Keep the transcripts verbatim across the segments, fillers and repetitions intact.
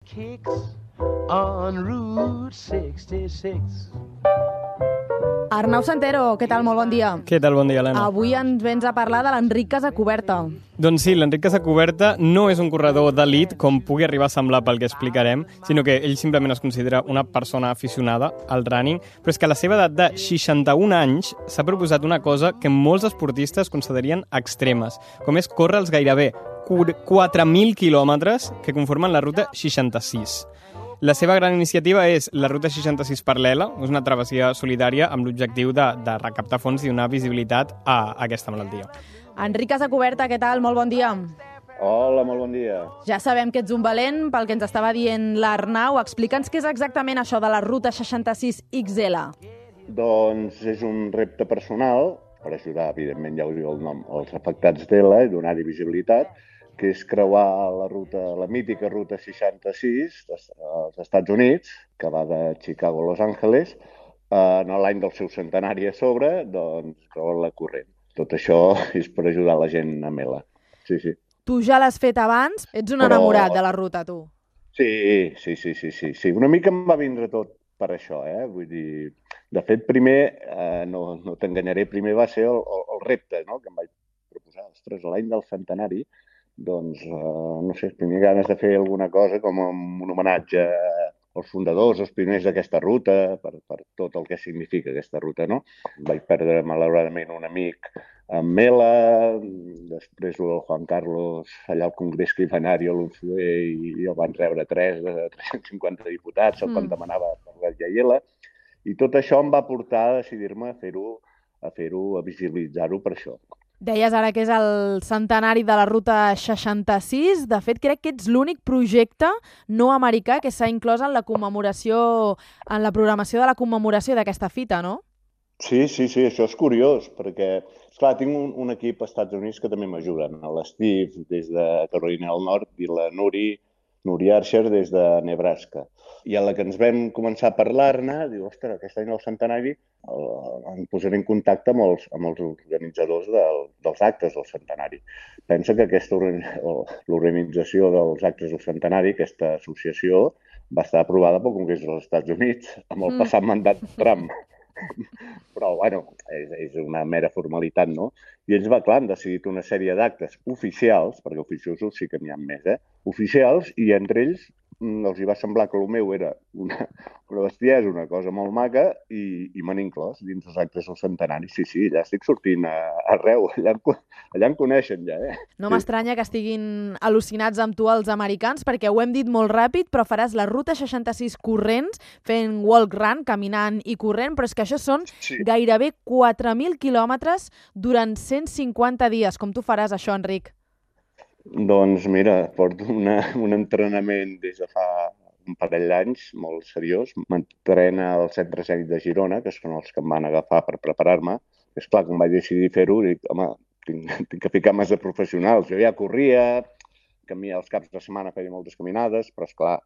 Kicks on Route seixanta-sis. Arnau Santero, què tal? Molt bon dia. Què tal? Bon dia, Helena. Avui ens vens a parlar de l'Enric Casacuberta. Doncs sí, l'Enric Casacuberta no és un corredor d'elit, com pugui arribar a semblar pel que explicarem, sinó que ell simplement es considera una persona aficionada al running, però és que a la seva edat de seixanta-un anys s'ha proposat una cosa que molts esportistes considerarien extremes, com és córrer els gairebé quatre mil quilòmetres que conformen la ruta seixanta-sis. La seva gran iniciativa és la Ruta seixanta-sis Paral·lela, és una travessia solidària amb l'objectiu de, de recaptar fons i donar visibilitat a aquesta malaltia. Enric Casacuberta, què tal? Molt bon dia. Hola, molt bon dia. Ja sabem que ets un valent, pel que ens estava dient l'Arnau. Explica'ns què és exactament això de la Ruta seixanta-sis X L. Doncs és un repte personal per ajudar, evidentment, ja ho diu el nom, als afectats d'E L A i donar-hi visibilitat, que és creuar la ruta, la mítica ruta seixanta-sis als Estats Units, que va de Chicago a Los Angeles, en l'any del seu centenari a sobre, doncs creuar-la corrent. Tot això és per ajudar la gent amb E L A. Sí, sí. Tu ja l'has fet abans? Ets un Però... enamorat de la ruta, tu. Sí, sí, sí, sí, sí, sí. Una mica em va vindre tot per això, eh? Vull dir, de fet, primer, eh, no, no t'enganyaré, primer va ser el, el, el repte, no?, que em vaig proposar. Ostres, l'any del centenari, doncs, eh, no sé, tenia ganes de fer alguna cosa com un homenatge als fundadors, als pioners d'aquesta ruta, per, per tot el que significa aquesta ruta, no? Vaig perdre, malauradament, un amic amb E L A, després el Juan Carlos, allà al Congrés que hi va anar-hi a l'U F E, i el van rebre tres de tres-cents cinquanta diputats, el quan demanava per la I L A, i tot això em va portar a decidir-me a fer-ho, a fer-ho, a visibilitzar-ho per això. Deies ara que és el centenari de la Ruta seixanta-sis. De fet, crec que ets l'únic projecte no americà que s'ha inclòs en la commemoració, en la programació de la commemoració d'aquesta fita, no? Sí, sí, sí, això és curiós, perquè, esclar, tinc un, un equip als Estats Units que també m'ajuden, l'Steve des de Carolina del Nord i la Nuri, Nuri Archer des de Nebraska. I a la que ens vam començar a parlar-ne, diu, ostres, aquest any el centenari, el, em posaré en contacte amb els, amb els organitzadors del, dels actes del centenari. Pensa que aquesta l'organització dels actes del centenari, aquesta associació, va estar aprovada pel Congrés dels Estats Units amb el passat mandat de Trump. Però, bueno, és, és una mera formalitat, no? I ells, va, clar, han decidit una sèrie d'actes oficials, perquè oficiosos sí que n'hi ha més, eh? Oficials, i entre ells els hi va semblar que el meu era una, una bestiesa, una cosa molt maca, i, i m'han inclòs dins els actes del centenari. Sí, sí, ja estic sortint a, arreu, allà, allà em coneixen ja, eh? No m'estranya que estiguin al·lucinats amb tu els americans, perquè ho hem dit molt ràpid, però faràs la Ruta seixanta-sis corrents, fent walk run, caminant i corrent, però és que això són sí. gairebé quatre mil quilòmetres durant cent cinquanta dies. Com tu faràs això, Enric? Doncs mira, porto una, un entrenament des de fa un parell d'anys molt seriós. M'entrena al Centre Escènic de Girona, que són els que em van agafar per preparar-me. És clar, quan vaig decidir fer-ho, dic, home, tinc, tinc que ficar més de professionals. Jo ja corria, camia els caps de setmana, feia moltes caminades, però esclar,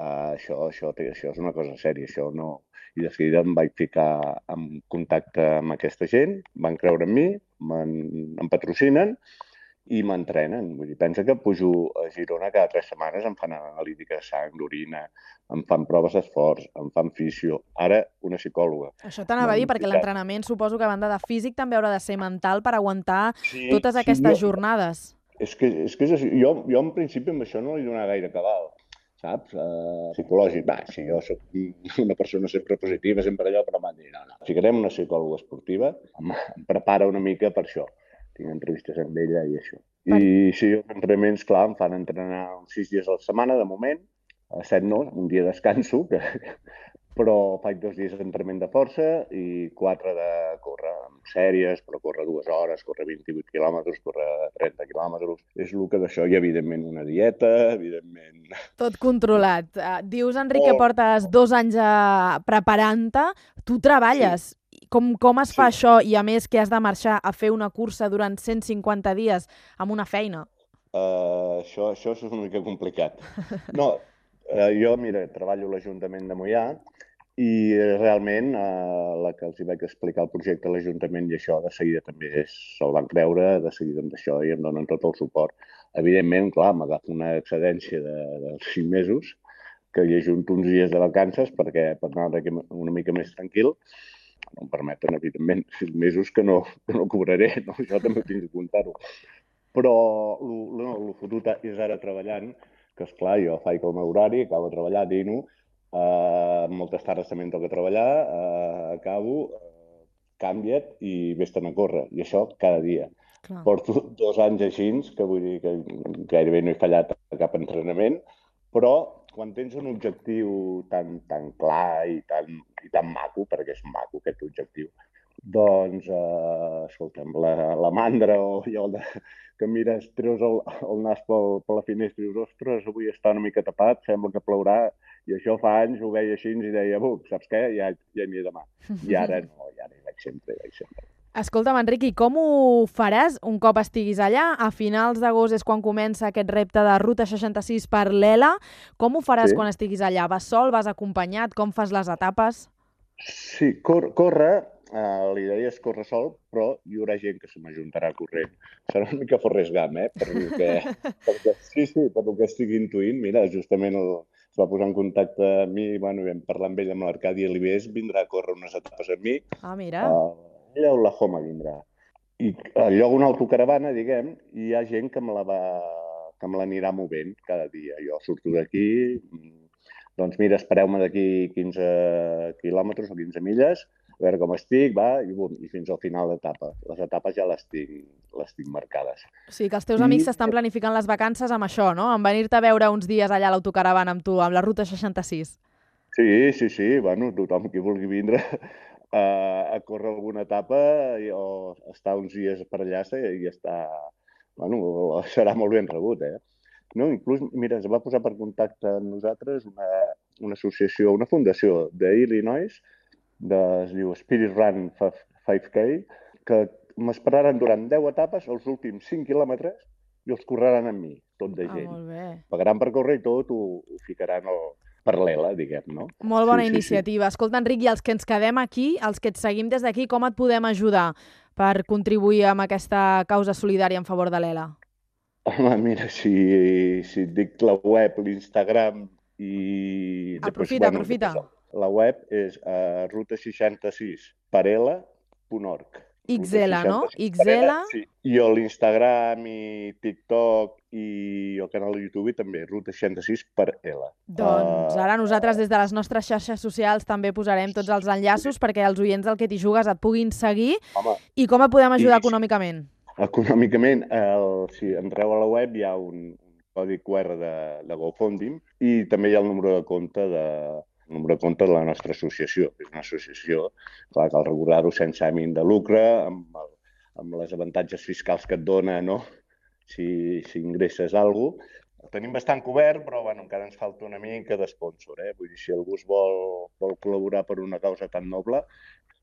uh, això, això, això és una cosa sèria, això no... I de seguida em vaig ficar en contacte amb aquesta gent, van creure en mi, em patrocinen, i m'entrenen. Vull dir, pensa que pujo a Girona cada tres setmanes, em fan analítica de sang, d'orina, em fan proves d'esforç, em fan fisio, ara una psicòloga. Això t'anava a dir, perquè l'entrenament suposo que a banda de físic també haurà de ser mental per aguantar sí, totes aquestes sí, jo, jornades. És que, és que és així. Jo, jo en principi amb això no li donava gaire cabal, saps? Uh, psicològic, va, si jo soc una persona sempre positiva, sempre allò, però m'han dit, no, no, ficarem una psicòloga esportiva, em, em prepara una mica per això. Tinc entrevistes amb ella i això. Per... I sí, els entrenaments, clar, em fan entrenar sis dies a la setmana, de moment, a set no, un dia descanso, que... però faig dos dies d'entrenament de força i quatre de córrer amb sèries, però córrer dues hores, córrer vint-i-vuit quilòmetres, córrer trenta quilòmetres. És el que d'això, i evidentment una dieta, evidentment... Tot controlat. Uh, dius, Enric, oh. que portes dos anys uh, preparant-te. Tu treballes. Sí. Com, com es fa sí. això? I a més que has de marxar a fer una cursa durant cent cinquanta dies amb una feina? Uh, això, això és una mica complicat. No, uh, jo, mira, treballo a l'Ajuntament de Moià i realment uh, la que els hi vaig explicar el projecte a l'Ajuntament i això de seguida també se'l van creure, de seguida amb això i em donen tot el suport. Evidentment, clar, m'agafo una excedència de, de cinc mesos que hi ajunto uns dies de vacances perquè per anar una mica més tranquil. No em permeten, evidentment, sis mesos que no, que no cobraré, no? Això també ho tinc de comptar-ho. Però el no, fotut és ara treballant, que esclar, jo faig el meu horari, acabo de treballar, dino, eh, moltes tardes també em toca treballar, eh, acabo, eh, canvia't i vés-te'n a córrer. I això cada dia. Clar. Porto dos anys així, que vull dir que gairebé no he fallat a cap entrenament, però quan tens un objectiu tan, tan clar i tan, i tan maco, perquè és maco aquest objectiu, doncs, eh, escolta'm, la, la mandra o allò de, que mires, treus el, el nas pel, per la finestra i dius, ostres, avui està una mica tapat, sembla que plourà, i això fa anys ho veia així i deia, buh, saps què? Ja, ja n'hi he demà. I ara no, i ara hi vaig sempre, hi vaig sempre. Escolta'm, Enric, i com ho faràs un cop estiguis allà? A finals d'agost és quan comença aquest repte de Ruta seixanta-sis per l'Ela. Com ho faràs sí. quan estiguis allà? Vas sol, vas acompanyat? Com fas les etapes? Sí, cor córrer, uh, la idea és córrer sol, però hi haurà gent que se m'ajuntarà corrent. Serà una mica Forrest Gump, eh? Per lo que, perquè, sí, sí, per lo que estic intuint. Mira, justament el, es va posar en contacte amb mi, bueno, vam parlar amb ell, amb l'Arcadi Alibés, vindrà a córrer unes etapes amb mi. Ah, mira. Uh, ella a Oklahoma vindrà. I al lloc una autocaravana, diguem, hi ha gent que me la va, que me l'anirà movent cada dia. Jo surto d'aquí, doncs mira, espereu-me d'aquí quinze quilòmetres o quinze milles, a veure com estic, va, i, bum, i fins al final d'etapa. Les etapes ja les tinc, les tinc marcades. O sigui que els teus I... amics s'estan planificant les vacances amb això, no? En venir-te a veure uns dies allà a l'autocaravana amb tu, amb la Ruta seixanta-sis. Sí, sí, sí, bueno, tothom qui vulgui vindre a córrer alguna etapa o estar uns dies per allà i està... Bueno, serà molt ben rebut, eh? No, inclús, mira, es va posar per contacte amb nosaltres una, una associació, una fundació d'Illinois, de, es diu Spirit Run cinc K, que m'esperaran durant deu etapes, els últims cinc quilòmetres, i els correran amb mi, tot de gent. Ah, molt bé. Pagaran per córrer i tot, ho, ho ficaran al... paral·lela, diguem, no? Molt bona sí, iniciativa. Sí, sí. Escolta, Enric, i els que ens quedem aquí, els que et seguim des d'aquí, com et podem ajudar per contribuir amb aquesta causa solidària en favor de l'Ela? Home, mira, si, si et dic la web, l'Instagram i... Aprofita, bueno, aprofita. La web és uh, ruta seixanta-sis per ela punt org. X L, no? X L. Sí. I a l'Instagram i TikTok i el canal de YouTube també, Ruta seixanta-sis per ela. Doncs ara nosaltres des de les nostres xarxes socials també posarem tots els enllaços perquè els oients del Que t'hi jugues et puguin seguir. Home, i com et podem ajudar i, econòmicament? Econòmicament, el, si entreu a la web hi ha un, un codi Q R de, de GoFundMe i també hi ha el número de compte de... el número de compte de la nostra associació. És una associació, clar, cal recordar-ho, sense ànim de lucre, amb, el, amb les avantatges fiscals que et dona, no? Si, si ingresses alguna cosa. El tenim bastant cobert, però bueno, encara ens falta una mica d'espònsor. Eh? Vull dir, si algú es vol, vol col·laborar per una causa tan noble,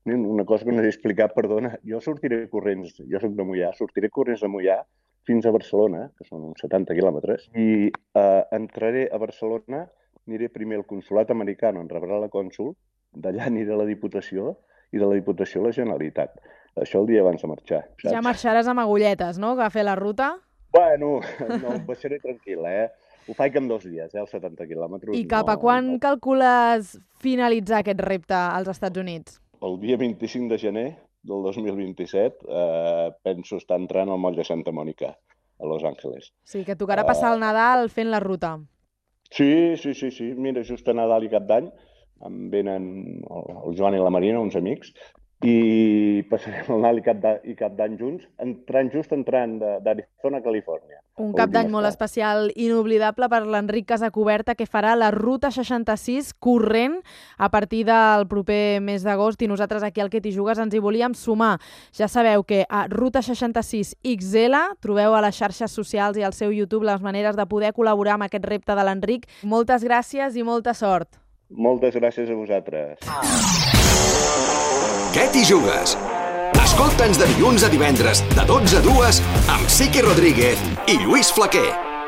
una cosa que no he explicat, perdona, jo sortiré corrents, jo soc de Moià, sortiré corrents de Moià fins a Barcelona, que són uns setanta quilòmetres, i eh, entraré a Barcelona, aniré primer al consolat americà, on rebrà la cònsul, d'allà aniré a la Diputació i de la Diputació a la Generalitat. Això el dia abans de marxar. Saps? Ja marxaràs amb agulletes, no?, que a fer la ruta? Bueno, no, em passaré tranquil, eh? Ho faig en dos dies, eh, els setanta quilòmetres. I cap a no, quan no. calcules finalitzar aquest repte als Estats Units? El dia vint-i-cinc de gener del dos mil vint-i-set eh, penso estar entrant al moll de Santa Mònica, a Los Angeles. Sí, que tocarà passar el Nadal fent la ruta. Sí, sí, sí, sí. Mira, just a Nadal i Cap d'Any em venen el Joan i la Marina, uns amics, i passarem el Nadal i Cap d'Any junts, entrant just entrant d'Arizona a Califòrnia. Un Cap d'Any molt especial, inoblidable per l'Enric Casacuberta, que farà la Ruta seixanta-sis corrent a partir del proper mes d'agost, i nosaltres aquí al Que t'hi jugues ens hi volíem sumar. Ja sabeu que a Ruta seixanta-sis X L trobeu a les xarxes socials i al seu YouTube les maneres de poder col·laborar amb aquest repte de l'Enric. Moltes gràcies i molta sort. Moltes gràcies a vosaltres. Què t'hi jugues? Escolta'ns de dilluns a divendres, de dotze a dues, amb Sique Rodríguez i Lluís Flaquer.